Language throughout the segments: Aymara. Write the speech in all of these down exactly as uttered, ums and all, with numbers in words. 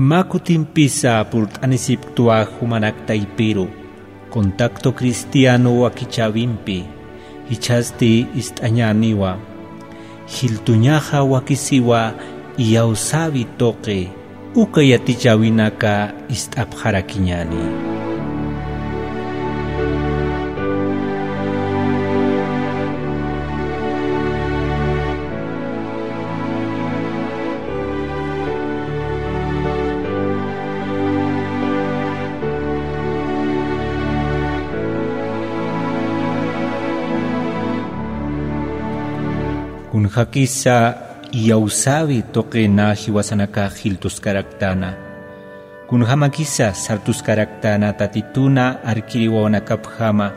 Mä kutimpisa purt'anisipktwa jumanak taypiru, Contacto Cristiano wakichäwimpi, jichhasti ist'añäniwa. Jiltuñaxa wakisiwa iyawsäwi tuqi, uka yatichäwinaka ist'apxarakiñäni. Kunjakisa iyawsäwi tuqina jiwasanakax jiltuskaraktana. Kunjamakisa sartuskaraktana Tatituna arkiri wawanakapjama.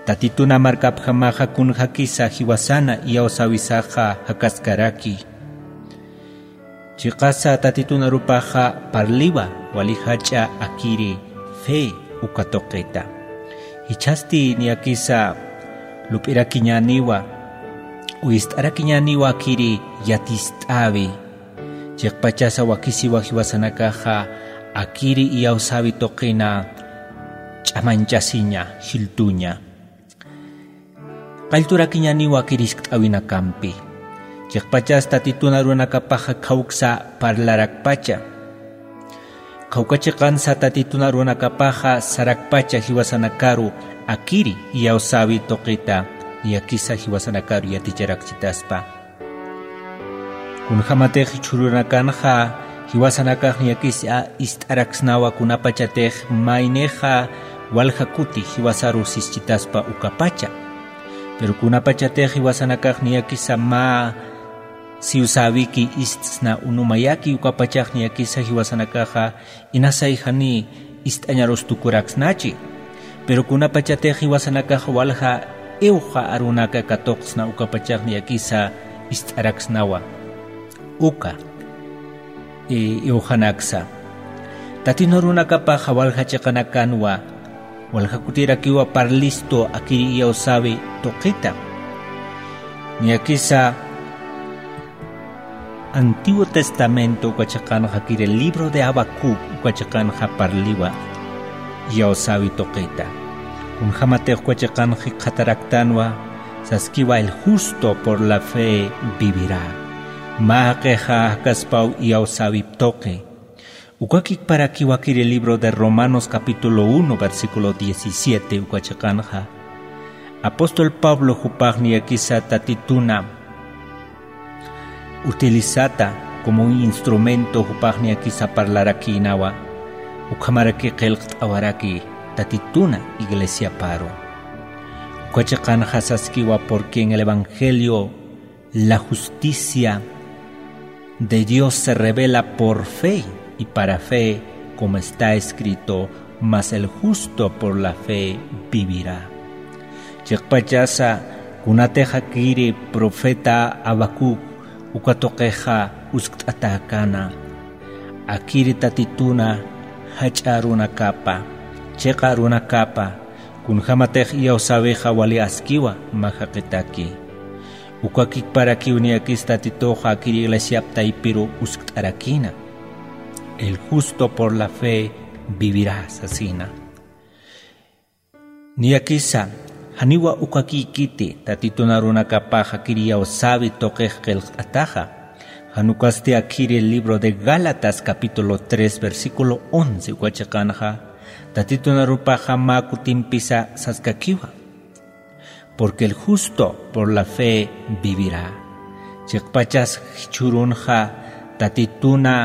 Tatituna markapjamaxa kunjakisa jiwasana iyawsäwisaxa jakaskaraki. Chiqasa Tatitun arupaxa parliwa wali jach'a akiri fe uka tuqita. Jichhasti niyakisa lup'irakiñäniwa, ist'arakiñäniwa akiri yatist'äwi. Chiqpachasa wakisiwa jiwasanakaxa akiri iyawsäwi tuqina ch'amañchasiña, jiltuña. Qallturakiñäniwa akir jiskt'äwinakampi. Chiqpachas Tatitun arunakapaxa khawksa parlarakpacha. Khawka chiqansa Tatitun arunakapaxa sarakpacha jiwasanakaru akiri iyawsäwi tuqita, niyakisa jiwasanakaru yaticharakchitaspa. Kunjamatix jichhürunakanxa jiwasanakax niyakisa ist'araksnawa kunapachatix maynixa walja kuti jiwasaru sischitaspa ukapacha. Pero kunapachatix jiwasanakax niyakisa mä siwsäwiki istsna unumayaki ukapachax niyakisa jiwasanakaxa inasay jani ist'añarus tukuraksnachi. Pero kunapachatix jiwasanakax walja iwxa arunaka katuqsna ukapachax niyakisa ist'araksnawa. Uka, i-, iwxanaksa. Tatitun arunakapaxa walja chiqanakanwa, walja kutirakiwa parlistu akiri iyawsäwi tuqita. Niyakisa Antiguo Testamento uka chiqanxa kiri libro de Habacuc uka chiqanxa parliwa iyawsäwi tuqita. Kunjamatix uka chiqanxa jikxataraktanwa, saskiwa: "El justo por la fe vivirá". Mä jaqixa jakaspaw iyawsäwip tuqi. Ukakikparakiwa kiri libro de Romanos capítulo uno, versículo diecisiete uka chiqanxa. Apóstol Pablo jupax niyakisa Tatituna utilizata como un instrumento jupax niyakisa parlarakïnawa, ukhamaraki qillqt'awaraki Tatituna iglesiaparu. Uka chiqanxa saskiwa: "Porque en el evangelio la justicia de Dios se revela por fe, y para fe, como está escrito, mas el justo por la fe vivirá". Chiqpachasa kunatix akiri profeta Habacuc uka tuqixa uskt'atäkana, akiri Tatituna jach'a arunakapa, chiqa arunakapa, kunjamatix iyawsäwixa wali askiwa mä jaqitaki. Ukakikparakiw niyakis Tatituxa akir iglesiap taypiru uskt'arakïna. "El justo por la fe vivirá", sasina. Niyakisa, janiwa ukakïkiti Tatitun arunakapax akir iyawsäwi tuqix qillqt'ataxa. Jan ukasti akiri libro de Gálatas capítulo tres, versículo once uka chiqanxa, Tatitun arupaxa mä kutimpisa saskakiwa: "Porque el justo por la fe vivirá". Chiqpachas jichhürunxa Tatituna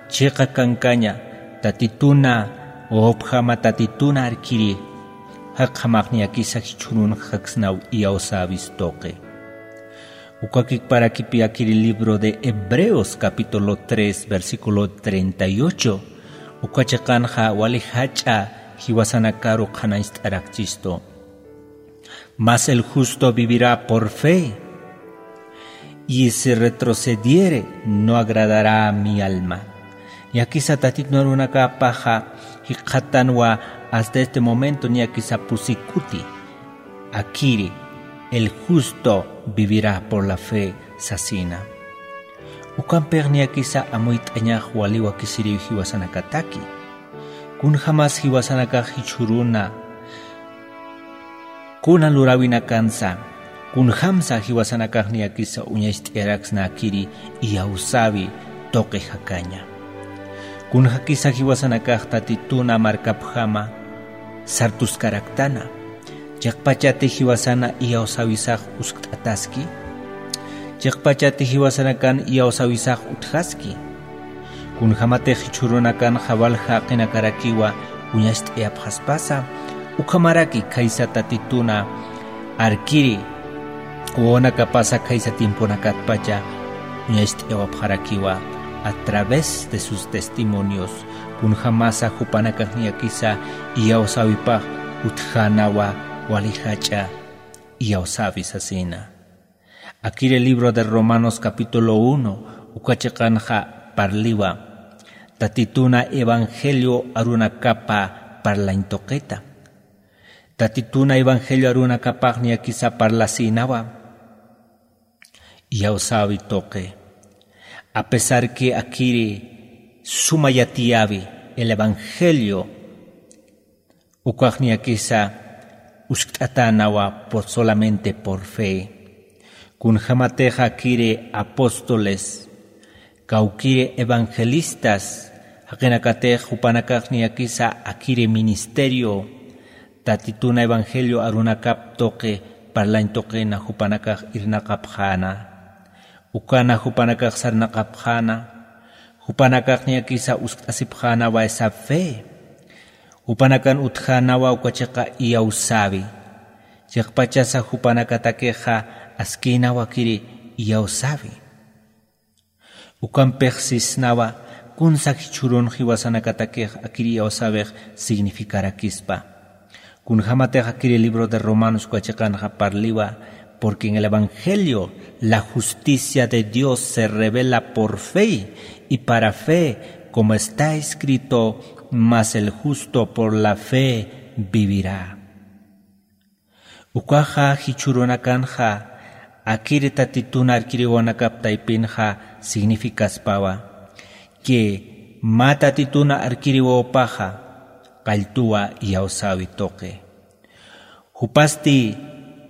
chiqa kankaña, Tatituna, upjama Tatituna arkiri, jaqjamax niyakisa jichhürunxa jaksnaw iyawsäwis tuqi. Ukakikparakipi akiri libro de Hebreos capítulo tres, versículo treinta y ocho, uka chiqanxa wali jach'a jiwasanakaru qhanañcht'arakchistu. "Mas el justo vivirá por fe, y si retrocediere, no agradará a mi alma". Niyakisa Tatitun arunakapaxa jikxatanwa hasta este momento niyakisa pusi kuti. Akiri, "El justo vivirá por la fe", sasina. Ukampix niyakisa amuyt'añax wali wakisiriw jiwasanakataki. Kunjämas jiwasanakax jichhüruna kuna luräwinakansa, kunjämsa jiwasanakax niyakisa uñacht'ayaraksnäkiri iyawsäwi tuqi jakaña. Kunjakisa jiwasanakax Tatituna markapjama sartuskaraktana. Chiqpachati jiwasana iyawsäwisax uskt'ataski. Chiqpachati jiwasanakan iyawsäwisax utjaski. Kunjämatix jichhürunakanxa walja jaqinakarakiwa uñacht'ayapxaspasa, ukhamaraki khaysa Tatituna arkiri wawanakapasa khaysa tiemponakatpacha uñacht'ayawapxarakiwa a través de sus testimonios. Kunjämasa jupanakax niyakisa iyawsäwipax utjänawa wali jach'a iyawsäwi sasina. Akiri libro de Romanos capítulo uno uka chiqanxa parliwa Tatituna evangelio arunakapa parlañ tuqita. Tatituna evangelio arunakapax niyakisa parlasïnawa iyawsäwi tuqi. A pesar que akiri suma yatiyäwi el evangelio, ukax niyakisa uskt'atänawa por, solamente por fe. Kunjämatix akiri apóstoles, kawkiri evangelistas, jaqinakatix jupanakax niyakisa akiri ministerio, Tatituna evangelio arunakap tuqi parlañ tuqina jupanakax irnaqapxäna. Ukana jupanakax sarnaqapxäna, jupanakax niyakisa uskt'asipxänawa esa fe. Jupanakan utjänawa uka chiqa iyawsäwi. Chiqpachasa jupanakatakixa askïnawa akiri iyawsäwi. Ukampix sisnawa kunsa jichhürun jiwasanakatakix akiri iyawsäwix significarakispa. Kunjämatix akiri libro de Romanos uka chiqanxa parliwa, porque en el evangelio la justicia de Dios se revela por fe, y para fe, como está escrito, mas el justo por la fe vivirá. Ukaxa jichhürunakanxa akiri Tatituna arkiriwanakap taypinxa significaspawa, que mä Tatituna arkiriwawpaxa qalltuwa iyawsäwi tuqi. Jupasti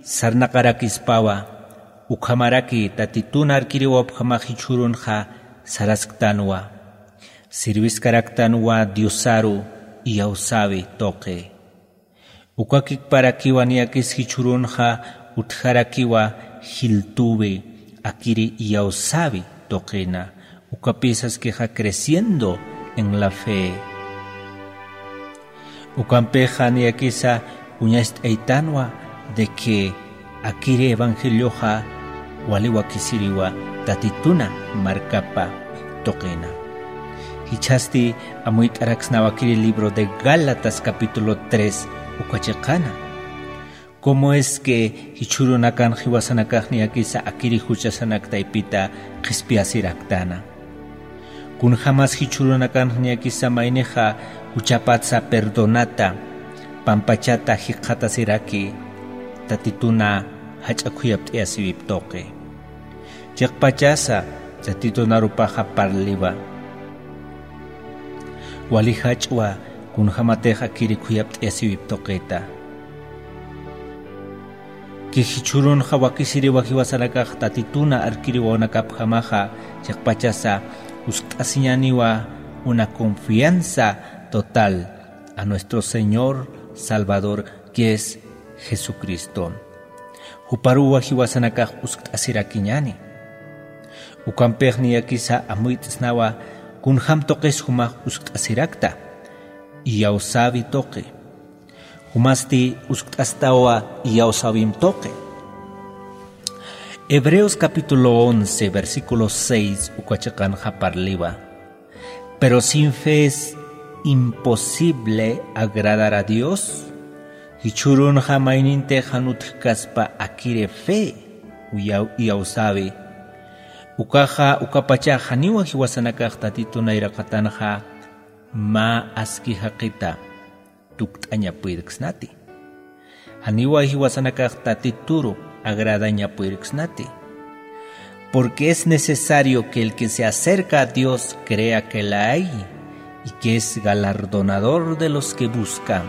sarnaqarakispawa, ukhamaraki Tatituna arkiriwawpjamax jichhürunxa sarasktanwa, sirviskaraktanwa Diosaru iyawsäwi tuqi. Uka kikparakiwa niyakis jichhürunxa utjarakiwa jiltuwi akiri iyawsäwi tuqina, ukapï saskixa creciendo en la fe. Ukampixa niyakisa uñacht'aytanwa de que akiri evangelioxa wali wakisiriwa Tatituna markapa tuqina. Jichhasti amuyt'araksnawa akiri libro de Gálatas capítulo tres uka chiqana. ¿Cómo es que jichhürunakan jiwasanakax niyakisa akiri juchasanak taypita qhispiyasiraktana? Kunjämas jichhürunakan niyakisa maynixa juchapatsa perdonata, pampachata jikxatasiraki, Tatituna jach'a khuyapt'ayasiwip tuqi. Chiqpachasa Tatitunarupaxa parliwa. Wali jach'wa kunjämatix akiri khuyapt'ayasiwip tuqita. Que jichhürunxa wakisiriwa jiwasanakax Tatituna arkiriwawanakapjamaxa, chiqpachasa uskt'asiñaniwa una confianza total a nuestro Señor Salvador, que es Jesucristo. Juparuwa jiwasanakax uskt'asirakiñani. Ukampix niyakisa amuyt'snawa kunjam tuqis jumax uskt'asirakta, iyawsäwi tuqi. Jumasti uskt'astawa iyawsäwim tuqi. Hebreos capítulo once, versículo seis uka chiqanxa parliwa. Pero sin fe es imposible agradar a Dios. Jichhürunxa maynintix jan utjkaspa akiri fe, uyaw-, iyawsäwi. Ukaxa, ukapachax janiwa jiwasanakax Tatitun nayraqatanxa mä aski jaqita tukt'aña puyirksnati. Janiwa jiwasanakax Tatituru agradaña puyirksnati. Porque es necesario que el que se acerca a Dios crea que la hay y que es galardonador de los que buscan.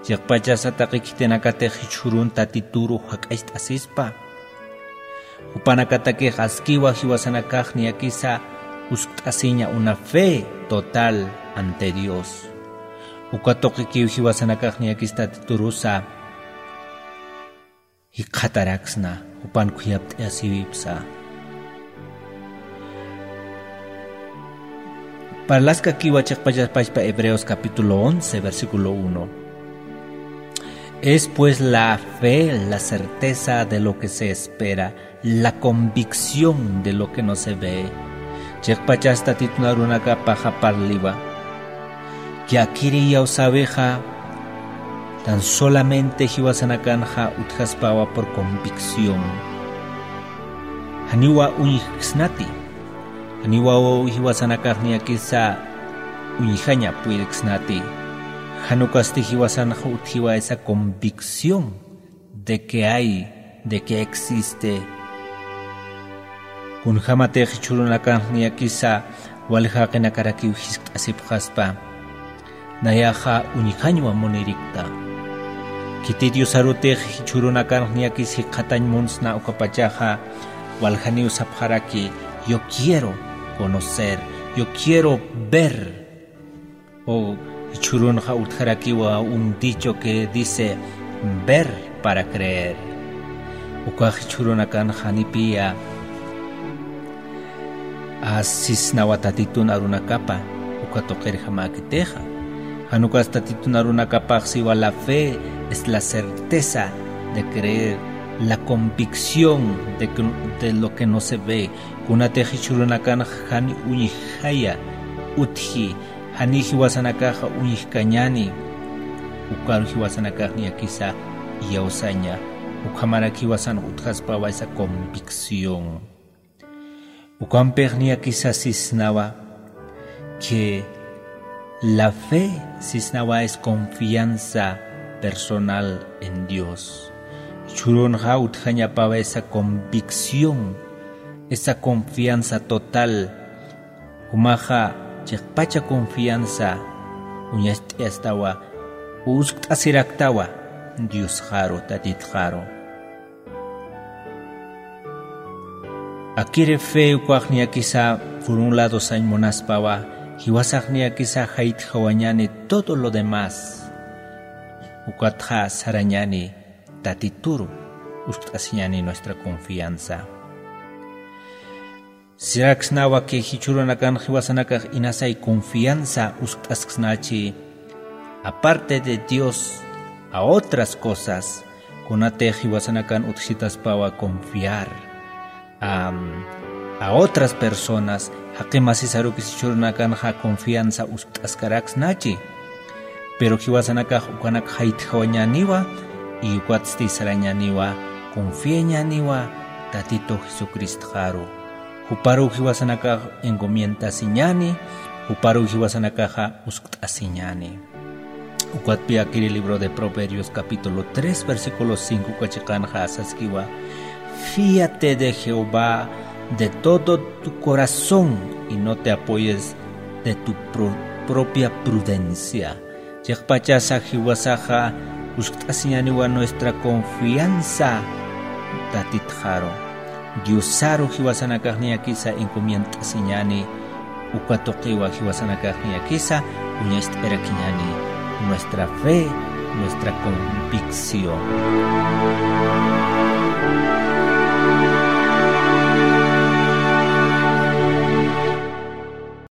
Chiqpachasa taqi khitinakatix jichhürun Tatituru jak'acht'asispa. Jupanakatakix askiwa jiwasanakax niyakisa uskt'asiña una fe total ante Dios. Uka tuqikiw jiwasanakax niyakis Tatiturusa jikxataraksna, jupan khuyapt'ayasiwipsa. Parlaskakiwa chiqpachas pachpa Hebreos capítulo once, versículo uno. Es pues la fe, la certeza de lo que se espera, la convicción de lo que no se ve. Chiqpachas Tatitun arunakapaxa parliwa. Yakiri iyawsäwixa, tan solamente jiwasanakanxa utjaspawa por convicción. Janiwa uñjksnati. Janiwa jiwasanakax niyakisa uñjaña puyirksnati. Jan ukasti jiwasanxa utjiwa esa convicción de que hay, de que existe. Kunjamatix jichhürunakanx niyakisa wal jaqinakarakiw jiskt'asipxaspa, nayaxa uñjañwa munirikta. Khitit Diosarutix jichhürunakanx niyakis jikxatañ munsna ukapachaxa, waljaniw sapxaraki, yo quiero conocer, yo quiero ver. O jichhürunxa utjarakiwa un dicho que dice, ver para creer. Ukax jichhürunakanxa janipiya sisnawa Tatitun arunakapa, uka tuqirjamäkitixa. Jan ukas Tatitun arunakapax siwa la fe es la certeza de creer, la convicción de que, de lo que no se ve. Kunatix jichhürunakanxa jan uñjaya utji, jani jiwasanakaxa uñjkañäni, ukaru jiwasanakax niyakisa iyawsaña, ukhamarak jiwasan utjaspawa esa convicción. Ukampix niyakisa sisnawa que la fe sisnawa es confianza personal en Dios. Jichhürunxa utjañapawa esa convicción, esa confianza total. Jumaxa chiqpacha confianza uñacht'ayastawa, uskt'asiraktawa Diosxaru, Tatitxaru. Akiri fe ukax niyakisa por un lado sañ munaspawa, jiwasax niyakisa jaytjawañäni todo lo demás. Ukatxa sarañäni Tatituru uskt'asiñäni nuestra confianza. Siraksnawa que jichhürunakan jiwasanakax inasay confianza uskt'asksnachi, aparte de Dios, a otras cosas, kunatix jiwasanakan utjsitaspawa confiar, am, a otras personas, jaqi masisarukis jichhürunakanxa confianza uskt'askaraksnachi. Pero jiwasanakax ukanak jaytjawañäniwa, y ukatsti sarañäniwa, confiañäniwa Tatitu Jesucristxaru. Juparuw jiwasanakax encomiendasiñäni, juparuw jiwasanakaxa uskt'asiñäni. Ukatpi akiri libro de Proverbios capítulo tres, versículo cinco uka chiqanxa saskiwa: Fíate de Jehová de todo tu corazón y no te apoyes de tu pro-, propia prudencia. Chiqpachasa jiwasaxa uskt'asiñäniwa nuestra confianza Tatitxaru. Diosaru jiwasanakax niyakisa encomiendasiñäni, uka tuqiwa jiwasanakax niyakisa uñacht'ayarakiñäni nuestra fe, nuestra convicción.